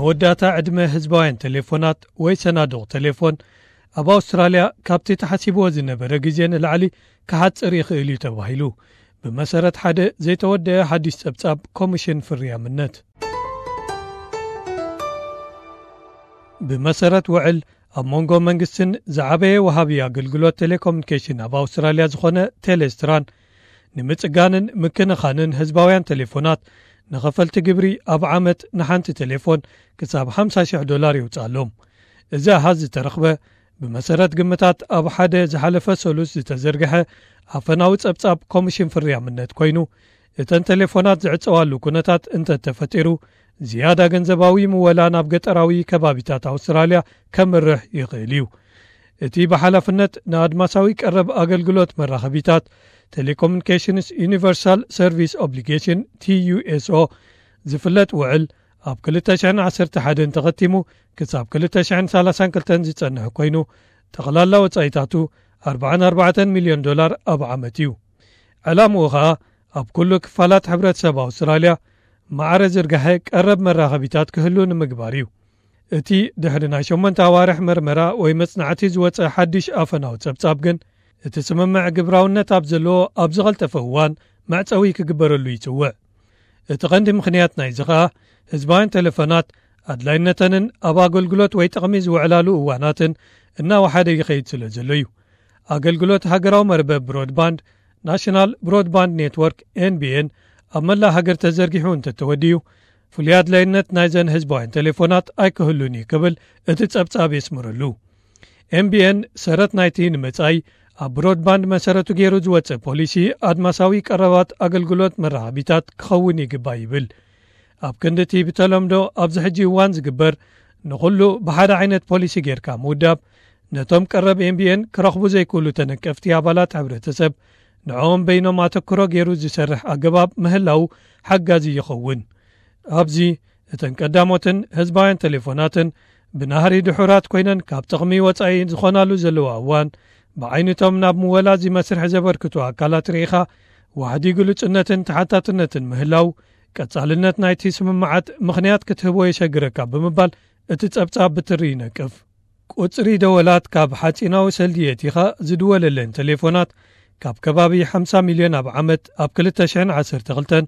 መወዳእታ ዕድመ ህዝባውያን ቴሌፎናት ወይ ሰናዱቕ ቴሌፎን ኣብ ኣውስትራልያ ካብቲ ተሓሲብዎ ዝነበረ ግዜ ንላዕሊ ክሓጽር ይኽእል እዩ ተባሂሉ፣ ብመሰረት ሓደ ዘይተወደአ ሓድሽ ጸብጻብ ኮሚሽን ፍርያምነት። ብመሰረት ውዕል፣ ኣብ መንጎ መንግስትን ዝዓበየ ወሃቢ ኣገልግሎት ቴሌኮሙኒኬሽን ኣብ ኣውስትራልያ ዝኾነ ቴሌስትራን፣ ንምጽጋንን ምክንኻንን ህዝባውያን ቴሌፎናት፣ ንኸፈልቲ ግብሪ ኣብ ዓመት ንሓንቲ ቴሌፎን ክሳብ ሓምሳ ሽሕ ዶላር የውጽኣሎም። እዚ ኣሃዝ ዝተረኽበ፣ ብመሰረት ግምታት ኣብ ሓደ ዝሓለፈ ሰሉስ ዝተዘርግሐ ኣፈናዊ ጸብጻብ ኮሚሽን ፍርያምነት ኮይኑ፣ እተን ቴሌፎናት ዝዕጸዋሉ ኩነታት እንተተፈጢሩ፣ ዝያዳ ገንዘባዊ ምወላ ናብ ገጠራዊ ከባቢታት ኣውስትራልያ ከምርሕ ይኽእል እዩ። እቲ ብሓላፍነት ንኣድማሳዊ ቀረብ ኣገልግሎት መራኸቢታት፣ ቴሌኮሙኒኬሽንስ ዩኒቨርሳል ሰርቪስ ኦብሊጌሽን፣ ቲ ዩ ኤስ ኦ፣ ዝፍለጥ ውዕል፣ ኣብ ክልተ ሽሕን ዓሰርተ ሓደን ተኸቲሙ ክሳብ ክልተ ሽሕን ሰላሳን ክልተን ዝጸንሕ ኮይኑ፣ ጠቕላላ ወጻኢታቱ ኣርባዓን ኣርባዕተን ሚልዮን ዶላር ኣብ ዓመት እዩ። ዕላምኡ ኸኣ፣ ኣብ ኩሉ ክፋላት ሕብረተሰብ ኣውስትራልያ ማዕረ ዝርጋሐ ቀረብ መራኸቢታት ክህሉ ንምግባር እዩ። እቲ ድሕሪ ናይ ሸሞንተ ኣዋርሕ መርመራ ወይ መጽናዕቲ ዝወጸ ሓድሽ ኣፈናዊ ጸብጻብ ግን፣ እቲ ስምምዕ ግብራውነት ኣብ ዘለዎ ኣብ ዝቐልጠፈ እዋን መዕጸዊ ክግበረሉ ይጽውዕ። እቲ ቀንዲ ምኽንያት ናይዚ ኸኣ፣ ህዝባውያን ቴሌፎናት ኣድላይነተንን ኣብ ኣገልግሎት ወይ ጥቕሚ ዝውዕላሉ እዋናትን እናወሓደ ይኸይድ ስለ ዘሎ እዩ። ኣገልግሎት ሃገራዊ መርበብ ብሮድባንድ፣ ናሽናል ብሮድባንድ ኔትወርክ፣ ኤን ቢ ኤን፣ ኣብ መላእ ሃገር ተዘርጊሑ እንተተወዲኡ፣ ፍሉይ ኣድላይነት ናይዘን ህዝባውያን ቴሌፎናት ኣይክህሉን እዩ ክብል እቲ ጸብጻብ የስምረሉ። ኤም ቢ ኤን ሰረት ናይቲ ንመጻኢ ኣብ ብሮድባንድ መሰረቱ ገይሩ ዝወጸ ፖሊሲ ኣድማሳዊ ቀረባት ኣገልግሎት መራኸቢታት ክኸውን ይግባእ ይብል። ኣብ ክንዲ እቲ ብተለምዶ ኣብዚ ሕጂ እዋን ዝግበር ንኹሉ ብሓደ ዓይነት ፖሊሲ ጌርካ ምውዳብ፣ ነቶም ቀረብ ኤም ቢ ኤን ክረኽቡ ዘይክእሉ ተነቀፍቲ ኣባላት ሕብረተሰብ ንዕኦም በይኖም ኣተክሮ ገይሩ ዝሰርሕ ኣገባብ ምህላው ሓጋዚ ይኸውን። ኣብዚ እተን ቀዳሞትን ህዝባውያን ቴሌፎናትን ብናህሪ ድሑራት ኮይነን ካብ ጥቕሚ ወጻኢ ዝኾናሉ ዘለዋ እዋን፣ ብዓይነቶም ናብ ምወላ እዚ መስርሕ ዘበርክቱ ኣካላት ርኢኻ ዋሕዲ ግሉጽነትን ተሓታትነትን ምህላው፣ ቀጻልነት ናይቲ ስምምዓት ምኽንያት ክትህቦ የሸግረካ ብምባል እቲ ጸብጻብ ብትሪ ይነቅፍ። ቁጽሪ ደወላት ካብ ሓጺናዊ ሰልዲ የቲኻ ዝድወለለን ቴሌፎናት ካብ ከባቢ ሓምሳ ሚልዮን ኣብ ዓመት ኣብ ክልተ ሽሕን ዓሰርተ ክልተን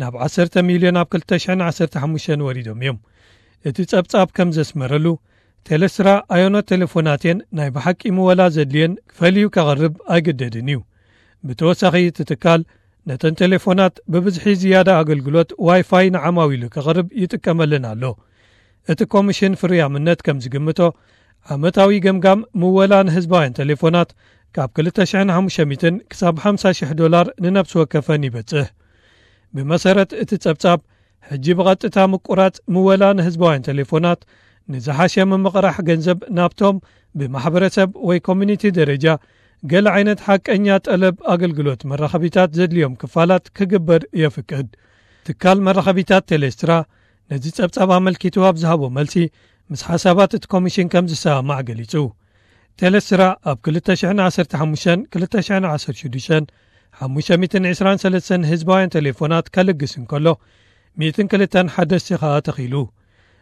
ናብ ዓሰርተ ሚልዮን ኣብ ክልተ ሽሕን ዓሰርተ ሓሙሽተን ወሪዶም እዮም። እቲ ጸብጻብ ከም ዘስመረሉ፣ ቴሌስትራ ኣዮኖት ቴሌፎናት እየን ናይ ብሓቂ ምወላ ዘድልየን ፈልዩ ከቕርብ ኣይግደድን እዩ። ብተወሳኺ እቲ ትካል ነተን ቴሌፎናት ብብዝሒ ዝያዳ ኣገልግሎት ዋይፋይ ንዓማዊሉ ከቕርብ ይጥቀመለን ኣሎ። እቲ ኮሚሽን ፍርያምነት ከም ዝግምቶ፣ ዓመታዊ ገምጋም ምወላ ንህዝባውያን ቴሌፎናት ካብ ክልተ ሽሕን ሓሙሽተ ሚእትን ክሳብ ሓምሳ ሽሕ ዶላር ንነፍሲ ወከፈን ይበጽሕ። ብመሰረት እቲ ጸብጻብ፣ ሕጂ ብቐጥታ ምቁራጽ ምወላ ንህዝባውያን ቴሌፎናት ንዝሓሸ ምምቕራሕ ገንዘብ ናብቶም ብማሕበረሰብ ወይ ኮሚኒቲ ደረጃ ገለ ዓይነት ሓቀኛ ጠለብ ኣገልግሎት መራኸቢታት ዘድልዮም ክፋላት ክግበር የፍቅድ። ትካል መራኸቢታት ቴሌስትራ ነዚ ጸብጻብ ኣመልኪቱ ኣብ ዝሃቦ መልሲ፣ ምስ ሓሳባት እቲ ኮሚሽን ከም ዝሰማማዕ ገሊጹ። ቴሌስትራ ኣብ ክልተ ሽሕን ዓሰርተ ሓሙሽተን ክልተ ሽሕን ዓሰርተ ሽዱሽተን ሓሙሽተ ሚእትን ዕስራን ሰለስተን ህዝባውያን ቴሌፎናት ከልግስ እንከሎ፣ ሚእትን ክልተን ሓደስቲ ኸኣ ተኺሉ።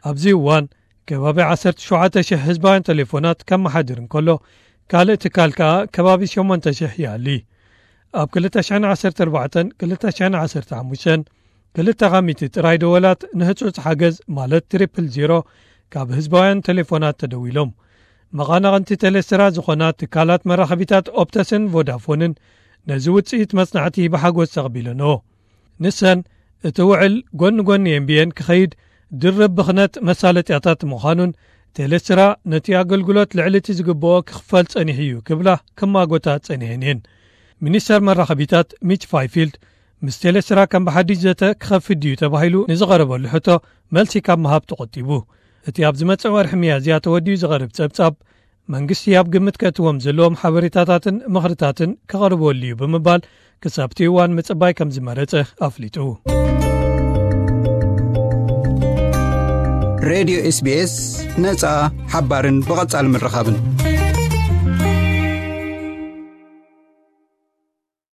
ኣብዚ እዋን፣ ከባቢ ዓሰርተ ሸውዓተ ሽሕ ህዝባውያን ቴሌፎናት ከመሓድር እንከሎ፣ ካልእ ትካል ከኣ ከባቢ ሸሞንተ ሽሕ ይኣሊ። ኣብ ክልተ ሽሕን ዓሰርተ ኣርባዕተን ክልተ ሽሕን ዓሰርተ ሓሙሽተን፣ ክልተ ካብ ሚእቲ ጥራይ ደወላት ንህጹጽ ሓገዝ፣ ማለት ትሪፕል ዜሮ፣ ካብ ህዝባውያን ቴሌፎናት ተደዊሎም። መቓናቕንቲ ቴሌስትራ ዝኾና ትካላት መራኸቢታት ኦፕተስን ቮዳፎንን ነዚ ውጽኢት መጽናዕቲ ብሓጎስ ተቐቢለንኦ። ንሰን፣ እቲ ውዕል ጎኒ ጎኒ ኤም ቢ ኤን ክኸይድ ድርብ ብኽነት መሳለጥያታት ምዃኑን፣ ቴሌስትራ ነቲ ኣገልግሎት ልዕሊ እቲ ዝግብኦ ክኽፈል ጸኒሑ እዩ ክብላ ክማጎታ ጸኒሐን እየን። ሚኒስተር መራኸቢታት ሚች ፋይፊልድ፣ ምስ ቴሌስትራ ከም ብሓድሽ ዘተ ክኸፍት ድዩ ተባሂሉ ንዝቐረበሉ ሕቶ መልሲ ካብ ምሃብ ተቖጢቡ። እቲ ኣብ ዝመጽእ ወርሒ ሚያዝያ ተወዲኡ ዝቐርብ ጸብጻብ፣ መንግስቲ ኣብ ግምት ከእትዎም ዘለዎም ሓበሬታታትን ምኽርታትን ከቕርበሉ እዩ ብምባል፣ ክሳብ እቲ እዋን ምጽባይ ከም ዝመረጸ ኣፍሊጡ። ሬድዮ ኤስ ቢ ኤስ፣ ነጻ፣ ሓባርን ብቐጻሊ ምርኻብን።